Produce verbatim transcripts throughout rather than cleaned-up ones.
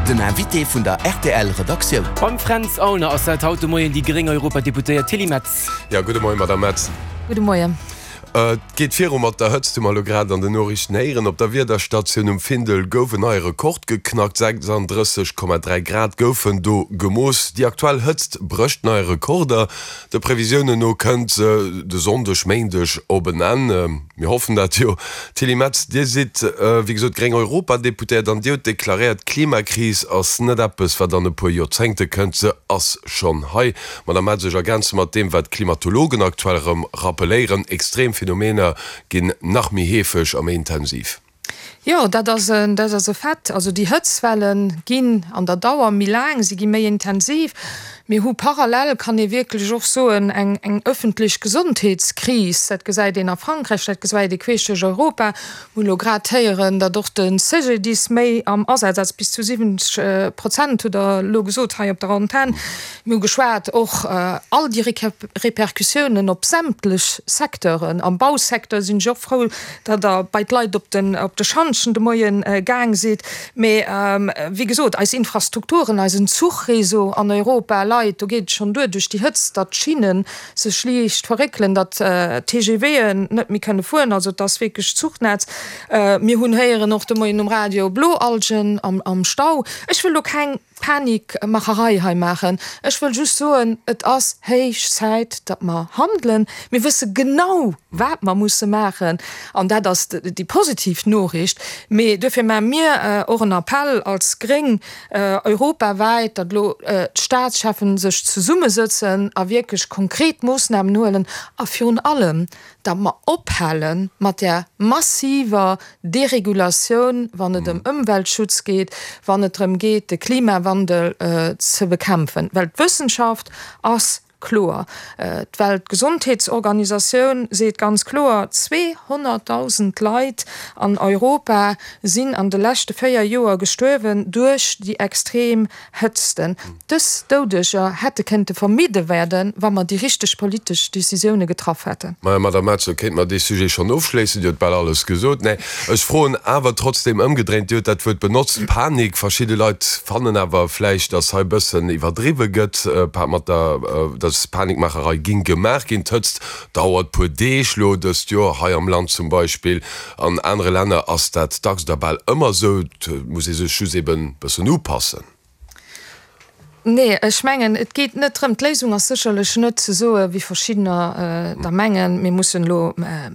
Den Invité vun der R T L Redaktioun. Beim Fränz Aulner ass dat haut de Moien déi gréng Europadeputéiert Tilly Metz. Jo, gudde Moien, Madame Metz. Gudde Moien. Et geet viru mat der Hëtzt, hu mer elo grad an den Noriichten héieren. Op der Wiederstatioun um Findel gouf en neie Rekord geknackt, sechsandrësseg Komma dräi Grad goufen do gemooss. Déi aktuell Hëtzt brécht nei Rekorder. De Previsiounen no kënnt se de Sonndeg, Méindeg op en Enn. Mir hoffen dat jo. Tilly Metz, Dir sidd wéi gesot gréng Europadeputéiert an Dir hutt deklaréiert, d'Klimakris ass net eppes, wat an e puer Joerzéngte kënnt, se ass schonn hei. Madame Metz, ech ergänze mat deem, wat d'Klimatologen aktuell erëm rappeléieren, Extrem Phänomener ginn nach méi heefeg a méi intensiv. Jo, dat ass en, dat ass e Fait. Also déi Hëtztwelle ginn an der Dauer méi laang, si gi méi intensiv. Mir hu parallel, kann ee wierklech och soen, eng, eng ëffentlech Gesondheetskris. Dat gesäit een a Frankräich, dat gesäit ee queesch duerch Europa. Mir hunn elo grad héieren, datt och de C G D I S méi am Asaz ass, bis zu siwwenzeg Prozent hutt Der elo gesot hei op der Antenn. Mir hu geschwat och all déi Répercussiounen op sämtlech Secteuren. Am Bausecteur sinn ech och frou, datt Der bei d'Leit op den, op de Schantjen de Moien gaang sidd. Mee wéi gesot, eis Infrastrukturen, eisen Zuchreseau an Europa leit, do geet et schonn duer duerch déi Hëtzt, datt d'Schinnen sech liicht verréckelen, datt d'T G W'en net méi kënne fueren, also et ass wierklech Zuchnetz. Mir hunn héieren och de Moien um Radio, Bloalgen am, am Stau. Ech wëll do keng Panikmacherei hei maachen. Ech wëll just soen, et ass héich Zäit, datt mer handelen. Mir wësse genau, wat mer musse maachen, an dat ass déi positiv Noriicht. Mee duerfir maache mir och en Appell als Gréng europawäit, datt elo d'Staatscheffen sech zesummesëtzen a wierklech konkret Moossnamen huelen a virun allem, datt mer ophale mat där massiver Deregulatioun, wann et ëm Ëmweltschutz geet, wann et drëm geet, de Klimawandel ze bekämpfen. Well d'Wëssenschaft ass kloer. D'Weltgesondheetsorganisatioun seet ganz kloer, zweehonnertdausend Leit an Europa sinn an de leschte véier Joer gestuerwen duerch déi extrem Hëtzten. Dës Doudeger hätte kënnte vermidde werden, wa mer déi richteg politesch Decisioune getraff hätten. Maja, Madame Metz, da kéinte mer dee Sujet schonn ofschléissen. Dir hutt bal alles gesot. Nee, ech froen awer trotzdem ëmgedréint, Dir hutt dat Wuert benotzt, Panik. Verschidde Leit fannen awer vläicht, datt hei e bëssen iwwerdriwwe gëtt mat der, datt Panikmacherei géing gemaach ginn. D'Hëtzt dauert puer Deeg lo dëst Joer hei am Land zum Beispill. An anere Länner ass dat dacks oder bal ëmmer esou. Et muss ee sech just eben bëssen upassen. Nee, ech mengen, et geet net drëm, d'Léisung ass sécherlech net ze soe wéi verschiddener der mengen, mir mussen elo,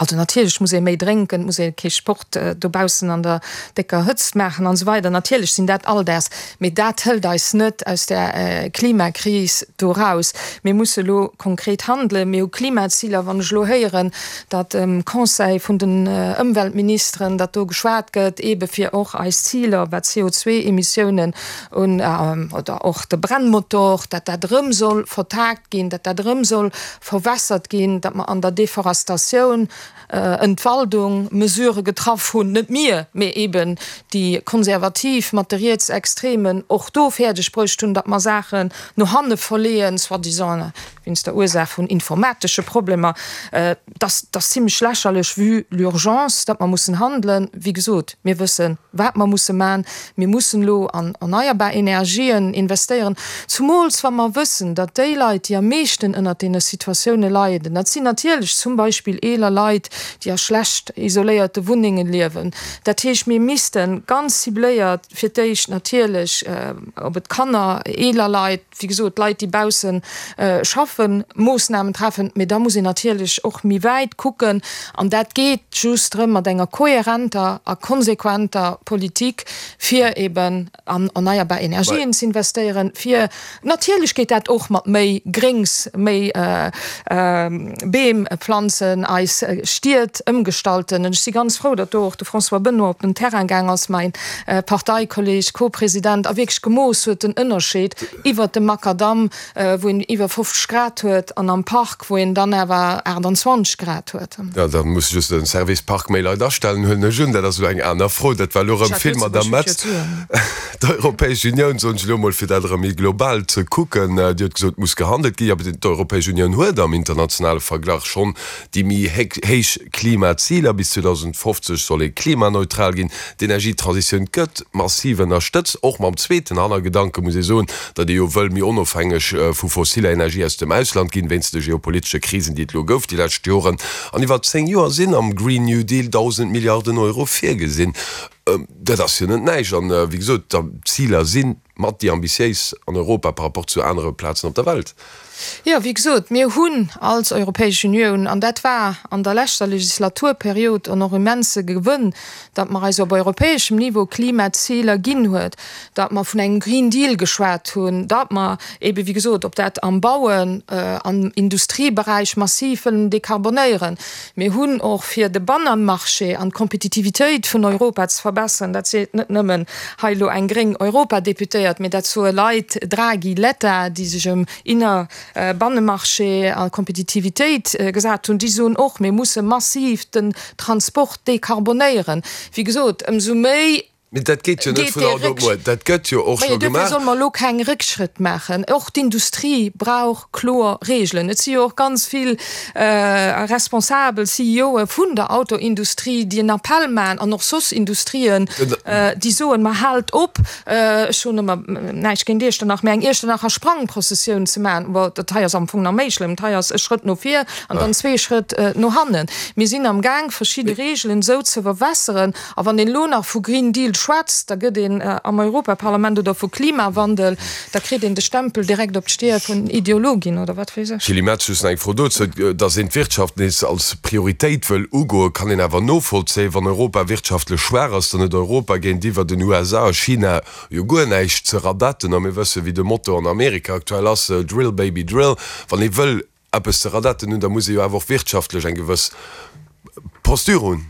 also natierlech muss ee méi drénken, et muss ee kee Sport dobaussen an der décker Hëtzt maachen an esou weider, natierlech sinn dat all däers, mee dat hëlt eis net aus där Klimakris do raus. Mir musse elo konkret handelen, mir hu Klimaziler. Wann ech elo héieren, datt um Conseil vun den Ëmweltministeren, datt do geschwat gëtt eebe fir och eis Ziler wat C O zwee Emissiounen un oder och de Brennmotor, datt dat erëm soll vertagt ginn, datt dat erëm soll verwässert ginn, datt mer an der Deforestatioun, Entwaldung Mesurë getraff hunn, net mir, mee eben déi Konservativ mat de Rietsextremen, och do fäerdeg bruecht hunn, datt mer Saachen no hanne verleeën, soi-disant wéinst der Ursaach vun informatesche Problemer. Dat ass zimlech lächerlech vue l'urgence, datt mer mussen handelen. Wéi gesot, mir wëssen, wat mer musse maachen. Mir mussen elo an erneierbar Energien investéieren, zumools wa mer wëssen, datt déi Leit, déi am meeschten ënnert deene Situatioune leiden, dat sinn natierlech zum Beispill eeler Leit, déi a schlecht isoléierte Wunnenge liewen. Dat heescht, mir misste ganz cibléiert fir d'éischt natierlech, ob et Kanner, eeler Leit, wéi gesot, Leit, déi bausse schaffen, Moossnamen treffen. Mee da muss een natierlech och méi wäit kucken. An dat geet just erëm mat enger kohärenter a konsequenter Politik, fir eben an erneierbar Energien ze investéieren, fir, natierlech geet dat och mat méi Gréngs, méi Beem planzen, eis Stied ëmgestalten. Ech si ganz frou, datt do och de François Benoy op den Terrain gaang ass, mäin Parteikolleg, Co-President, a wierklech gemooss huet den Ënnerscheed iwwert dem Makadamm, wou een iwwer fofzeg Grad huet, an am Park, wou een dann awer aachtanzwanzeg Grad huet. Jo, da muss just den Service Park méi Leit astellen, huelen ech un. Dat ass elo eng aner Fro. Dat war elo erëm vill, Madame Metz. D'Europäesch Unioun, soen ech elo emol, fir dat erëm méi méi global ze kucken. Dir hutt gesot, et muss gehandelt ginn, awer d'Europäesch Unioun huet am internationale Verglach schonn déi méi héich Klimaziler. Bis zweedausendfofzeg soll ee klimaneutral ginn. D'Energietransitioun gëtt massiv ënnerstëtzt, och mam zweeten Hannergedanke, muss ee soen, datt ee jo wëll méi onofhängeg vu fossiller Energie aus dem Ausland ginn, wéinst de geopolitesche Krisen, déi et elo gouf déi lescht Joren. An iwwer zéng Joer sinn am Green New Deal dausend Milliarden Euro virgesinn. Dat ass jo net näischt. An, wéi gesot, d'Ziler si mat déi ambitiéis an Europa par rapport zu anere Plazen op der Welt. Jo, wéi gesot, mir hunn als Europäesch Unioun, an dat war an der leschter Legislaturperiod en och immense Gewënn, datt mer eis op europäeschem Niveau Klimaziler ginn huet, datt mer vun engem Green Deal geschwat hunn, datt mer eebe wéi gesot, ob dat am Bauen, am Industrieberäich massiv wëllen dekarbonéieren. Mir hunn och fir de Bannemarché an d'Kompetitivitéit vun Europa ze verbessern, dat seet net nëmmen hei elo eng gréng Europadeputéiert, mee dat soe Leit, Draghi, Letta, déi sech ëm Inner-, Bannemarché a Kompetitivitéit gesat hunn, déi soen och, mir musse massiv den Transport dekarbonéieren. Wéi gesot, ëmsou méi Mee dat geet jo net vun haut op muer. Dat gëtt jo och scho gemaach. Duerfir solle mer elo keng Réckschrëtt maachen. Och d'Industrie brauch kloer Regeln. Et si jo och ganz vill responsabel CEOe vun der Autoindustrie, déi en Appell maachen, an och soss Industrien, déi soen, Ma haalt op, ech hunn ëmmer näischt géint Iechternach, mä eng Iechternacher Sprangprozessioun ze maachen. Bon, dat hei ass am Fong nach méi schlëmm. Dat hei ass e Schrëtt no vir an dann zwee Schrëtt no hannen. Mir sinn amgaang, verschidde Regeln esou ze verwässeren. A wann een elo nach vu Green Deal schwätzt, da gëtt een am Europaparlament, oder vu Klimawandel, da kritt een de Stempel direkt op d'Stier vun Ideologin oder wat weess ech. Gilles Metz, Just nach eng Fro dozou, Datt een d'Wirtschaft nees als Prioritéit wëll ugoen, kann een awer novollzéien. Wann Europa wirtschaftlech schwaach ass, dann huet Europa géintiwwer den U S A a China jo guer näischt ze radetten. A mir wëssen, wéi de Motto an Amerika aktuell ass, Drill, baby, drill. Wann ee wëll eppes ze radetten hunn, da muss ee jo awer och wirtschaftlech eng gewëss Posture hunn.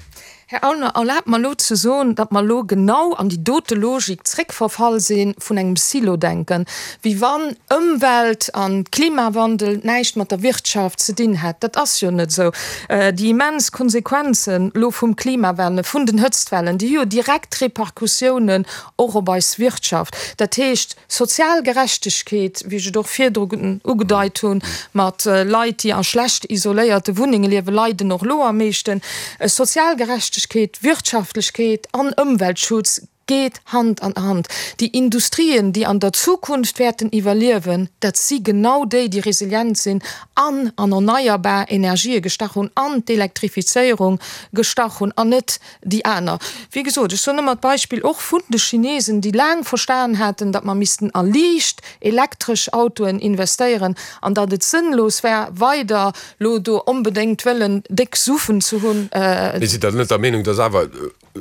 Här Aulner, erlaabt mer elo ze soen, datt mer elo genau an déi dote Logik zréckverfall si vun engem Silo-Denken, wéi wann Ëmwelt a Klimawandel näischt mat der Wirtschaft ze dinn hätt. Dat ass jo net esou. Déi immens Konsequenzen elo vum Klimawandel, vun den Hëtztwellen, déi hu jo direkt Repercussiounen och op eis Wirtschaft. Dat heescht, sozial Gerechtegkeet, wéi ech et och virdru ugedeit hunn, mat Leit, déi a schlecht isoléierte Wunnenge liewen, leiden och elo am meeschten. Sozial Gerechtegkeet, Wirtschaftlechkeet an Ëmweltschutz geet Hand an Hand. Déi Industrien, déi an der Zukunft wäerten iwwerliewen, dat si genau déi, déi resilient sinn an an erneierbar Energië gestach hunn, an d'Elektrifizéierung gestach hunn, an net déi aner. Wéi gesot, ech soen ëmmer d'Beispill och vun de Chinesen, déi laang verstan haten, datt mer missten a liicht elektresch Autoen investéieren an datt et sënnlos wär, weider lo do onbedéngt wëllen déck Suffen ze hunn. Mee sidd Der net der Meenung, datt awer,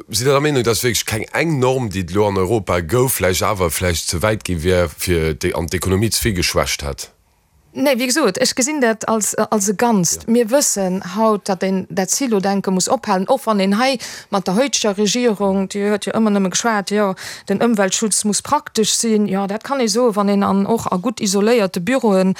sidd Der der Meenung, datt wierklech keng eng Norm, déi et elo an Europa gouf, vläicht awer vläicht ze wäit gi wier fir an d'Ekonomie ze vill geschwächt hätt? Nee, wéi gesot, ech gesinn dat als, als e Ganzt. Mir wëssen haut, datt een dat Silo-Denke muss ophalen, och wann een hei mat der heuteger Regierung, déi huet jo ëmmer nëmme geschwat, jo, den Ëmweltschutz muss praktesch sinn. Jo, dat kann ee soen, wann een an och a gutt isoléierte Büroe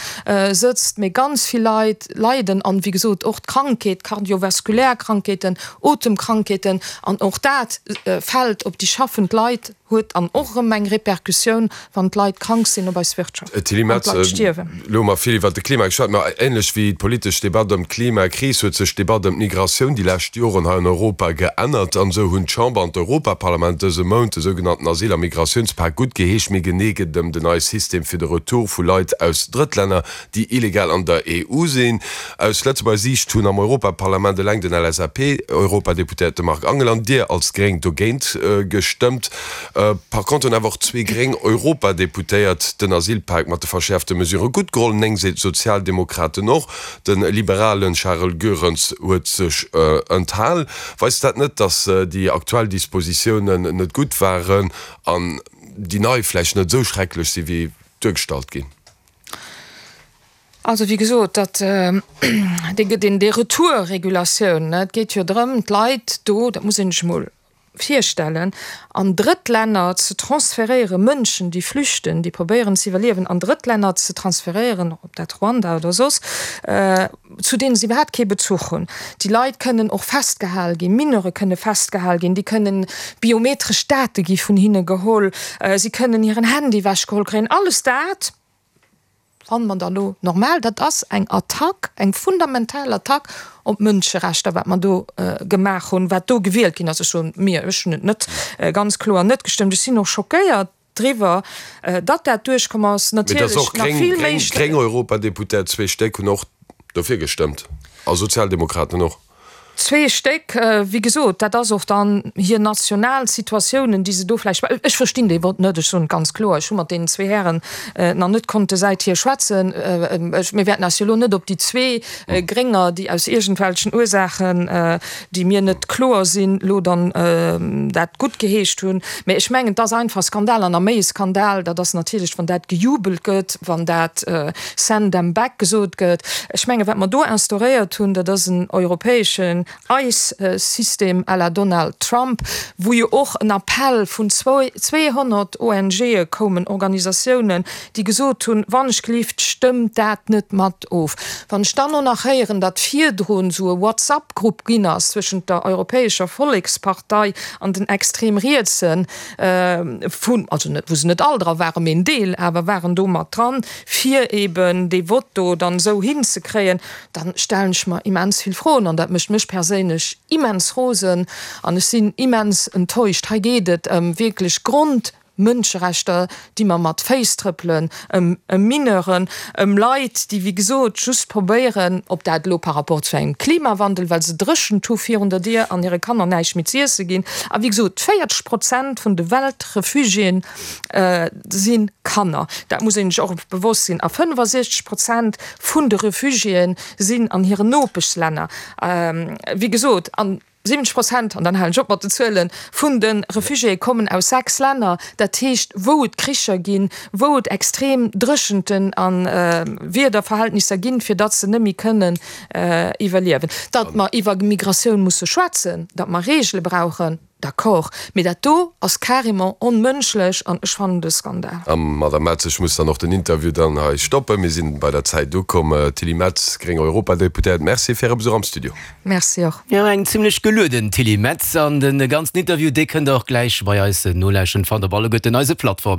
sëtzt. Mee ganz vill Leit leiden an, wéi gesot, och d'Krankheet, kardiovaskulär Krankheeten, Otemkrankheeten, an och dat fält op déi schaffend Leit. Huet an och erëm eng Repercussioun, wann d'Leit krank sinn, op eis Wirtschaft, Tilly wann Metz, d'Leit stierwen. Elo hu mer vill iwwert de Klima geschwat, ma änlech wéi d'politesch Debatt ëm d'Klimakris huet sech d'Debatt ëm d'Migratioun déi lescht Joren hei an Europa geännert. An esou hunn d'Chamber an d'Europaparlament dëse Mount de sougenannten Asyl a Migratiounspak guttgeheescht. Méi genee geet et ëm den neie System fir de Retour vu Leit aus Drëttlänner, déi illegal an der E U sinn. Aus Lëtzebuerger Siicht hunn am Europaparlament eleng den L S A P-Europadeputéierte Marc Angel an Dir als Gréng dogéint gestëmmt. Par contre hunn awer och zwee gréng Europadeputéiert den Asylpak mat de verschäerfte Mesurë gutt geholl, néng Sozialdemokraten och. De liberale Charel Goerens huet sech enthal. Weist dat net, datt déi aktuell Dispositiounen net gutt waren an déi nei vläicht net esou schrecklech si wéi duergestallt ginn? Also wéi gesot, dat dee, deen, déi Retour-Regulatioun, et geet jo drëm, d'Leit do, dat muss een sech emol virstellen, an Drëttlänner ze transferéieren, Mënschen, déi flüchten, déi probéieren ze iwwerliewen, an Drëttlänner ze transferéieren, ob dat Ruanda oder soss, zu deene se iwwerhaapt kee Bezuch hunn. Déi Leit kënnen och festgehal ginn, Mineure kënne festgehal ginn, déi kënnen, biometresch Date gi vun hinne geholl, si kënnen hiren Handy ewechgeholl kréien, alles dat fanne mer da lo normal. Dat ass eng Attack, eng fundamental Attack op d'Mënscherechter, wat mer do gemaach hunn, wat do gewielt ginn ass. Ech soen mir, ech hunn et net, ganz kloer net gestëmmt. Ech sinn och schockéiert driwwer, datt dat duerchkomm ass. Mee et ass Natierlech och nach vill méi. Gréng Europadeputéiert, zwee Stéck, hunn och dofir gestëmmt a Sozialdemokraten och. Zwee Stéck, wéi gesot, dat ass och dann hir national Situatiounen, déi se do vläicht, ech verstinn dee Vott net, ech soen et ganz kloer, ech hu mat deenen zwee Hären nach net konnte säithier schwätzen. Ech, mir wäerten eis jo elo net op déi zwee Grénger, déi aus iergendwelchen Ursaachen, déi mir net kloer sinn, elo dann dat guttgeheescht hunn. Mä ech mengen, et ass einfach e Skandal an a méi e Skandal, dat ass natierlech, wann dat gejubelt gëtt, wann dat send them back gesot gëtt. Ech mengen, wat mer do instauréiert hunn, dat ass en europäeschen ICE-System à la Donald Trump, wou jo och en Appell vun zweehonnert ONGe koumen, Organisatiounen, déi gesot hunn, Wannechgelift, stëmmt dat net mat of. Wann ech dann och nach héieren, datt virdrun esou e WhatsApp-Grupp ginn ass zwëschent der Europäescher Vollekspartei an den extrem Rietsen, vun, also net, wou se net all dra waren, mee en Deel awer waren do mat dran, fir eben dee Vott do dann esou hinzekréien, dann stellen ech mer immens vill Froen an dat mécht mech perséinlech immens rosen an ech sinn immens enttäuscht. Hei geet et ëm wierklech Grondmënscherechter, déi mer mat Féiss trëppelen, ëm Mineuren, ëm Leit, déi wéi gesot just probéieren, ob dat elo par rapport zu engem Klimawandel, well se Dréchent hu virun der Dier an hire Kanner näischt méi z'iesse ginn. A wéi gesot, véierzeg Prozent vun de Weltrefugiéen si Kanner. Dat muss een sech och bewosst sinn. A fënnefasechzeg Prozent vun de Refugiéen sinn an hiren Nopeschlänner. Wéi gesot, an siwwenzeg Prozent, an dann halen ech op mat den Zuelen, vun de Refugiéë kommen aus sechs Länner, dat heescht wou et Kricher ginn, wou et extrem Dréchenten a Wiederverhältnisser ginn, fir datt se net méi kënnen iwwerliewen. Datt mer iwwer Migratioun musse schwätzen, datt mer Reegele brauchen, D'accord, mee dat do ass carrément onmënschlech an ech fannen et e Skandal. A Madame Metz, ech muss dann och den Interview dann hei stoppen. Mir sinn bei der Zäit ukomm. Tilly Metz, gréng Europadeputéiert, Merci fir Äre Besuch am Studio. Merci och. Jo, eng zimlech gelueden Tilly Metz. An de ganzen Interview, dee kënnt der och gläich bei eis nolauschteren, fannt op alleguerten eise Plattformen.